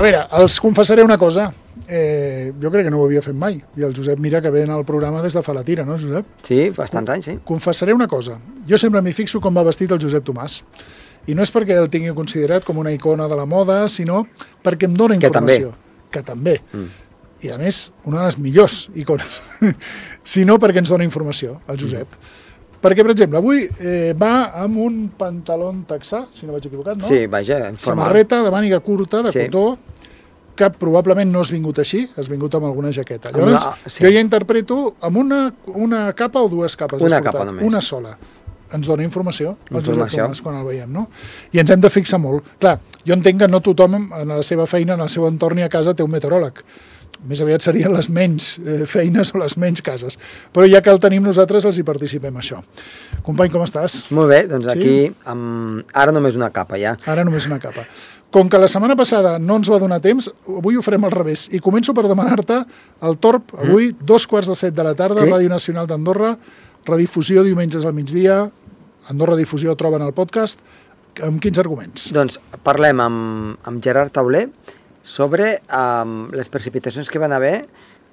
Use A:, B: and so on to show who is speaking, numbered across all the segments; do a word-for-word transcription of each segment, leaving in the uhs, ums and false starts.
A: A veure, els confessaré una cosa. Eh, jo crec que no ho havia fet mai. I el Josep mira que ve al programa des de fa la tira, no, Josep?
B: Sí, bastants anys, sí.
A: Confessaré una cosa. Jo sempre m'hi fixo com va vestit el Josep Tomàs. I no és perquè el tingui considerat com una icona de la moda, sinó perquè em dona informació. Que també. Que també. Mm. I a més, una de les millors icones. Sinó perquè ens dona informació, el Josep. Mm. Perquè, per exemple, avui eh, va amb un pantaló texà, si no vaig equivocat, no?
B: Sí, vaja, informal.
A: Samarreta de màniga curta, de
B: sí.
A: cotó, que probablement no has vingut així, has vingut amb alguna jaqueta. Llavors, una, sí. jo ja interpreto amb una, una capa o dues capes.
B: Una capa només.
A: Una sola. Ens dona informació, el Josep Tomàs, quan el veiem, no? I ens hem de fixar molt. Clar, jo entenc que no tothom en la seva feina, en el seu entorn i a casa té un meteoròleg. Més aviat serien les menys eh, feines o les menys cases. Però ja que el tenim nosaltres, els hi participem això. Company, com estàs?
B: Molt bé, doncs sí? Aquí, amb... ara només una capa, ja.
A: Ara només una capa. Com que la setmana passada no ens va donar temps, avui ho farem al revés. I començo per demanar-te el torb, avui, mm. dos quarts de set de la tarda, sí? Ràdio Nacional d'Andorra, redifusió diumenges al migdia, Andorra Difusió troben el podcast. Amb quins arguments?
B: Doncs parlem amb, amb Gerard Tauler sobre um, les precipitacions que van haver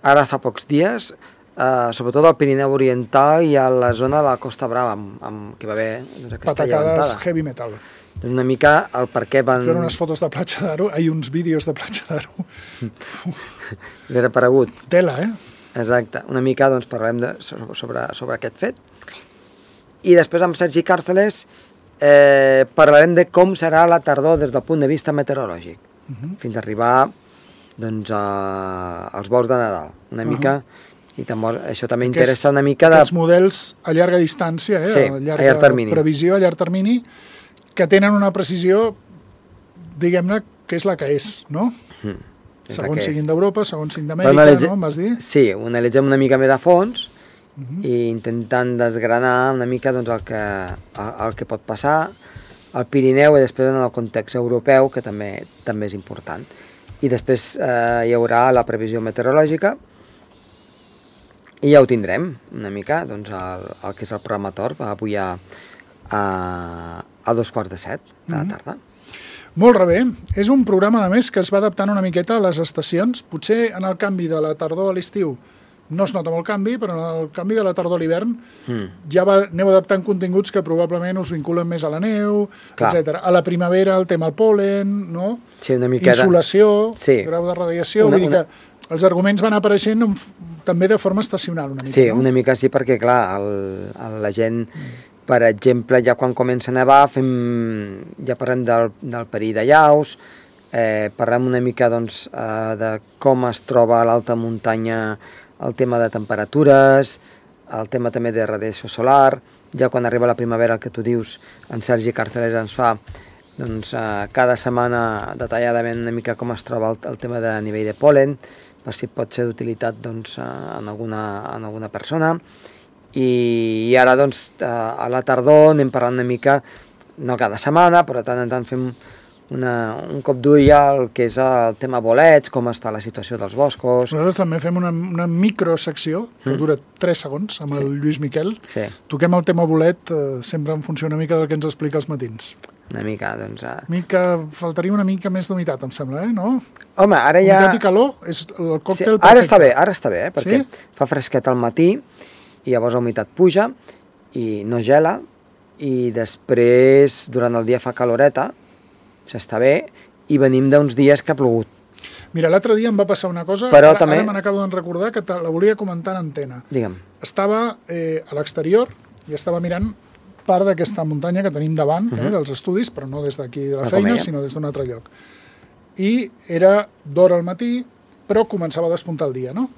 B: ara fa pocs dies, uh, sobretot al Pirineu Oriental i a la zona de la Costa Brava, amb, amb, que va haver doncs, aquesta
A: patacades
B: llevantada.
A: Heavy metal.
B: Doncs una mica el per què van...
A: Hi ha unes fotos de Platja d'Aro, hi ha uns vídeos de Platja d'Aro.
B: Desaparegut.
A: Tela, eh?
B: Exacte. Una mica doncs, parlem de, sobre, sobre aquest fet. I després amb Sergi Càrceles eh, parlarem de com serà la tardor des del punt de vista meteorològic, uh -huh. fins a arribar doncs, a, als vols de Nadal. Una uh -huh. mica... I també, això també Aquests, interessa una mica de...
A: Aquests models a llarga distància, eh?
B: Sí,
A: a, llarga
B: a llarg termini.
A: Previsió a llarg termini, que tenen una precisió, diguem-ne, que és la que és, no? Mm, és segons siguin d'Europa, segons siguin d'Amèrica, analitze... no? Em vas dir?
B: Sí, ho analitzem una mica més a fons uh -huh. i intentant desgranar una mica doncs, el, que, el, el que pot passar al Pirineu i després en el context europeu, que també també és important. I després eh, hi haurà la previsió meteorològica. I ja ho tindrem, una mica, doncs, el, el que és el programa Torb, avui a, a, a dos quarts de set de la tarda.
A: Mm-hmm. Molt bé. És un programa, a més, que es va adaptant una miqueta a les estacions. Potser en el canvi de la tardor a l'estiu no es nota molt canvi, però en el canvi de la tardor a l'hivern mm. ja va, aneu adaptant continguts que probablement us vinculen més a la neu, etcètera. A la primavera el tema el pol·len, no?
B: Sí, una mica
A: insolació,
B: de... sí.
A: grau de radiació, una, vull dir una... que els arguments van apareixent en, també de forma estacional una mica,
B: sí,
A: no?
B: una mica sí, perquè clar, el, el, la gent, mm. per exemple, ja quan comença a nevar, fem, ja parlem del, del perill de llaus, eh, parlem una mica doncs, eh, de com es troba a l'alta muntanya el tema de temperatures, el tema també de radiació solar, ja quan arriba la primavera, el que tu dius, en Sergi Càrceles ens fa doncs, eh, cada setmana detalladament una mica com es troba el, el tema de nivell de pol·len, per si pot ser d'utilitat doncs, en, alguna, en alguna persona. I, i ara doncs, a la tardor anem parlant una mica, no cada setmana, però de tant en tant fem una, un cop d'ull al que és el tema bolets, com està la situació dels boscos.
A: Nosaltres també fem una, una microsecció, que mm. dura tres segons, amb sí. el Lluís Miquel.
B: Sí.
A: Toquem el tema bolet eh, sempre en funció una mica del que ens explica als matins.
B: Una mica, doncs... Uh...
A: Mica, faltaria una mica més d'humitat, em sembla, eh? No?
B: Home, ara ja...
A: Humitat i calor és el còctel
B: sí,
A: perfecte.
B: Ara està bé, ara està bé, eh? Perquè
A: sí?
B: fa fresquet al matí i llavors la humitat puja i no gela i després durant el dia fa caloreta, s'està bé, i venim d'uns dies que ha plogut.
A: Mira, l'altre dia em va passar una cosa,
B: però
A: ara,
B: també...
A: ara me n'acabo de recordar que la volia comentar en antena.
B: Digue'm.
A: Estava eh, a l'exterior i estava mirant part d'aquesta muntanya que tenim davant, uh-huh. eh, dels estudis, però no des d'aquí de la no feina, sinó des d'un altre lloc. I era d'hora al matí, però començava a despuntar el dia, no?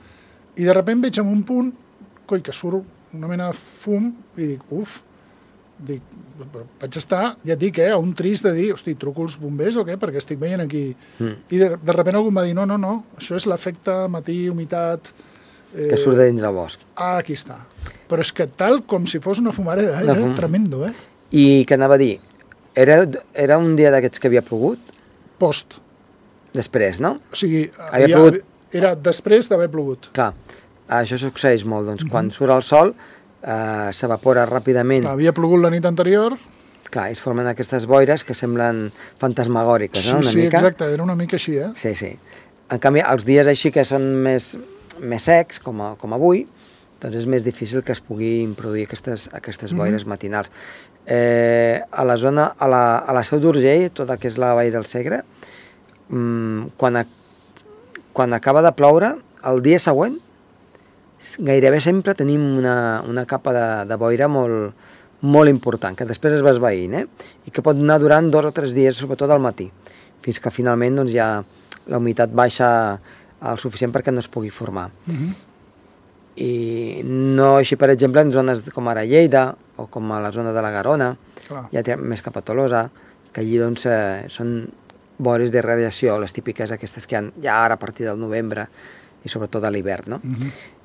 A: I de sobte veig en un punt, coi, que surt una mena de fum, i dic, uf, dic, vaig estar, ja et dic, eh, a un trist de dir, hosti, truco els bombers o què? Perquè estic veient aquí. Mm. I de, de sobte algú em va dir, no, no, no, això és l'efecte matí, humitat...
B: Eh, que surt de dins del bosc.
A: Ah, aquí està. Però és que tal com si fos una fumareda, eh? Era fum. Tremendo, eh?
B: I què anava a dir? Era, era un dia d'aquests que havia plogut?
A: Post.
B: Després, no?
A: O sigui,
B: havia havia, plogut...
A: era després d'haver plogut.
B: Clar, això succeeix molt, doncs, mm-hmm. quan surt el sol, eh, s'evapora ràpidament.
A: Clar, havia plogut la nit anterior...
B: clar, es formen aquestes boires que semblen fantasmagòriques, no?
A: Sí,
B: Una
A: sí,
B: mica.
A: exacte, era una mica així, eh?
B: Sí, sí. En canvi, els dies així que són més, més secs, com, a, com avui, doncs és més difícil que es puguin produir aquestes, aquestes boires mm-hmm. matinals. Eh, a la zona, a la, a la Seu d'Urgell, tota que és la vall del Segre, mmm, quan, a, quan acaba de ploure, el dia següent, gairebé sempre tenim una, una capa de, de boira molt, molt important, que després es va esvaint, eh? I que pot anar durant dos o tres dies, sobretot al matí, fins que finalment doncs, ja la humitat baixa el suficient perquè no es pugui formar. Mm-hmm. I no així, per exemple, en zones com ara Lleida o com a la zona de la Garona, clar, ja té més cap a Tolosa, que allí doncs, eh, són boires de radiació, les típiques aquestes que hi ha ja ara a partir del novembre i sobretot a l'hivern, no? Mm-hmm.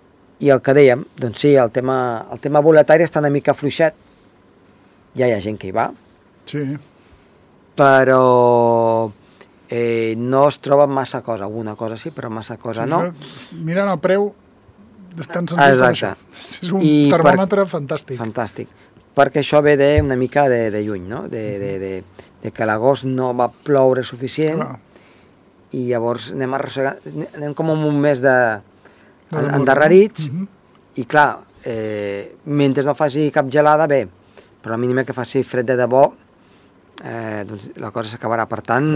B: I el que dèiem, doncs sí, el tema, el tema boletari està una mica fluixet, ja hi ha gent que hi va,
A: sí,
B: però eh, no es troba massa cosa, alguna cosa sí, però massa cosa sí, no.
A: Mirant el preu, estan sentint per això. És un I termòmetre per... fantàstic.
B: Fantàstic, perquè això ve de, una mica de, de lluny, no? De, de, de, de que l'agost no va ploure suficient, clar, i llavors anem, anem com un mes de, de endarrerits, uh-huh. I clar, eh, mentre no faci cap gelada, bé, però la mínima que faci fred de debò, eh, doncs la cosa s'acabarà. Per tant,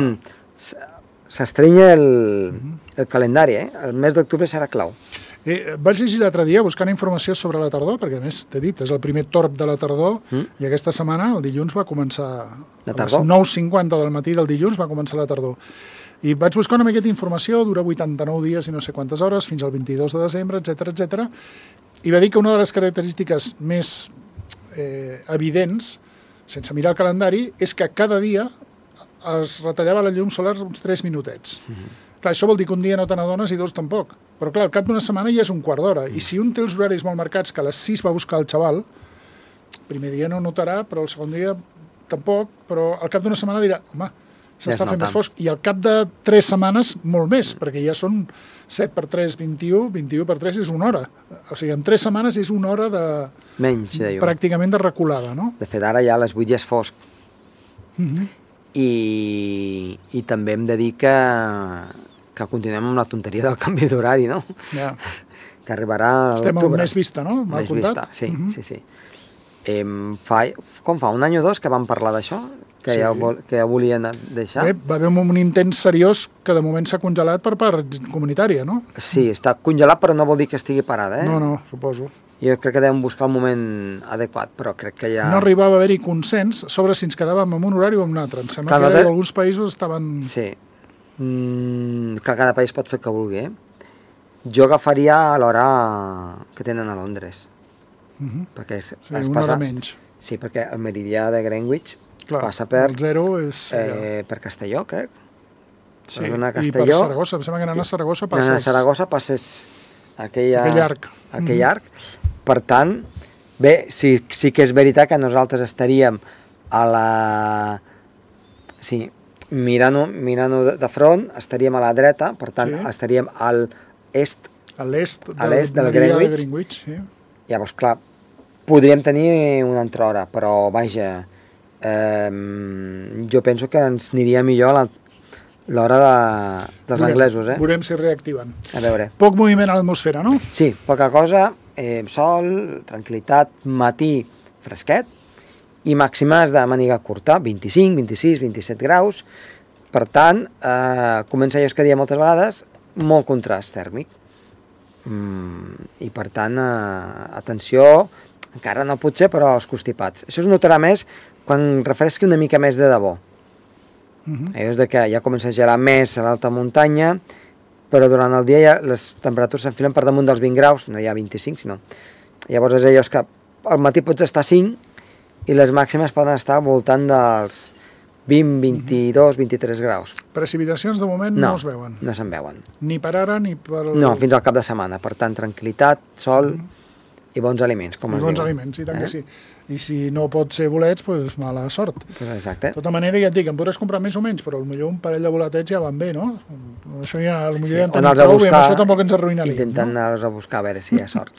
B: s'estrenya el, uh-huh. el calendari, eh? El mes d'octubre serà clau.
A: Eh, vaig llegir l'altre dia buscant informació sobre la tardor, perquè a més t'he dit, és el primer torb de la tardor, mm. i aquesta setmana, el dilluns, va començar, a les nou cinquanta del matí del dilluns va començar la tardor. I vaig buscar una miqueta d'informació, dura vuitanta-nou dies i no sé quantes hores, fins al vint-i-dos de desembre, etcètera, etcètera, i va dir que una de les característiques més eh, evidents, sense mirar el calendari, és que cada dia es retallava la llum solar uns tres minutets. Mm-hmm. Clar, això vol dir que un dia no te n'adones i dos tampoc. Però clar, al cap d'una setmana ja és un quart d'hora. I si un té els horaris molt marcats, que a les sis va buscar el xaval, el primer dia no notarà, però el segon dia tampoc, però al cap d'una setmana dirà, home, s'està fent més fosc. I al cap de tres setmanes, molt més, perquè ja són set per tres, vint-i-u, vint-i-u per tres és una hora. O sigui, en tres setmanes és una hora de...
B: Menys, de llum.
A: Pràcticament de reculada, no?
B: De fet, ara ja a les vuit ja és fosc.
A: Mm-hmm.
B: I, i també hem de dir que, que continuem amb la tonteria del canvi d'horari, no?
A: Ja.
B: Que arribarà a
A: l'octubre. Estem
B: amb
A: més vista, no? Mal
B: més
A: comptat.
B: Vista, sí,
A: uh-huh.
B: sí, sí. Eh, fa, com fa, un any o dos que vam parlar d'això? Que, sí. ja, que ja volien deixar?
A: Bé, va haver un intent seriós que de moment s'ha congelat per part comunitària, no?
B: Sí, està congelat, però no vol dir que estigui parada, eh?
A: No, no, suposo.
B: Jo crec que devem buscar el moment adequat, però crec que ja...
A: No arribava a haver-hi consens sobre si ens quedàvem en un horari o en un altre. Em sembla Clar, que de... alguns països estaven...
B: Sí. Mm, que cada país pot fer el que vulgui, eh? Jo agafaria l'hora que tenen a Londres. Uh-huh. Perquè es,
A: sí,
B: es
A: una
B: passa...
A: hora menys.
B: Sí, perquè el meridià de Greenwich
A: Clar,
B: passa per...
A: el zero és...
B: Eh, per Castelló, crec.
A: Sí,
B: per
A: i per Saragossa. Em sembla que anant a Saragossa passes...
B: Anant a Saragossa passes aquella,
A: aquell arc.
B: Aquell arc. Mm-hmm. Per tant, bé, sí, sí que és veritat que nosaltres estaríem a la... Sí, mirant-ho mirant de, de front, estaríem a la dreta, per tant, sí. Estaríem al est,
A: a l'est
B: del, del Greenwich.
A: De Greenwich sí.
B: Llavors, clar, podríem tenir una altra hora, però, vaja, eh, jo penso que ens aniria millor la, l'hora de, dels
A: veurem,
B: anglesos, eh?
A: Veurem si reactiven.
B: A veure.
A: Poc moviment a l'atmosfera, no?
B: Sí, poca cosa, eh, sol, tranquil·litat, matí fresquet i màximes de màniga curta, vint-i-cinc, vint-i-sis, vint-i-set graus. Per tant, eh, comença allò que diem moltes vegades, molt contrast tèrmic. Mm, I per tant, eh, atenció, encara no potser, però els constipats. Això es notarà més quan refresqui una mica més de debò. Uh-huh. És de que ja comença a gelar més a l'alta muntanya, però durant el dia ja les temperatures s'enfilen per damunt dels vint graus, no hi ha vint-i-cinc, sinó... Llavors és allò que al matí pots estar cinc i les màximes poden estar al voltant dels vint, vint-i-dos, vint-i-tres graus.
A: Precipitacions de moment no, no es veuen.
B: No se'n veuen.
A: Ni per ara ni per...
B: No, fins al cap de setmana. Per tant, tranquil·litat, sol uh-huh. i bons aliments, com
A: I
B: es
A: bons
B: diuen.
A: aliments, i tant
B: eh?
A: que sí. I si no pot ser bolets, doncs mala sort.
B: Pues exacte.
A: De tota manera, ja et dic, em podràs comprar més o menys, però potser un parell de boletets ja van bé, no? Això ja, potser ja en
B: o
A: tenim
B: anar-los a
A: prou i amb
B: buscar,
A: això tampoc ens arruïnaria.
B: intentant
A: No?
B: anar-los a buscar, a veure si hi ha sort.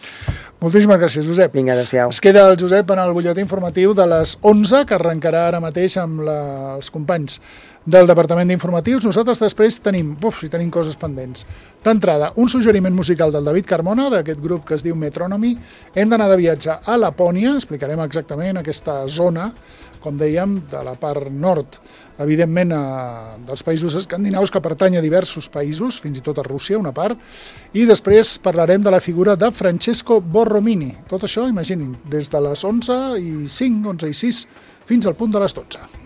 A: Moltíssimes gràcies, Josep.
B: Vinga, adéu-siau.
A: Es queda el Josep en el butlletí informatiu de les onze, que arrencarà ara mateix amb la, els companys del Departament d'Informatius. Nosaltres després tenim, uf, si tenim coses pendents. D'entrada, un suggeriment musical del David Carmona, d'aquest grup que es diu Metronomy. Hem d'anar de viatge a Lapònia, explicarem exactament aquesta zona, com dèiem, de la part nord, evidentment, a, dels països escandinaus, que pertany a diversos països, fins i tot a Rússia, una part, i després parlarem de la figura de Francesco Borromini. Tot això, imaginin, des de les onze i cinc, onze i sis, fins al punt de les dotze.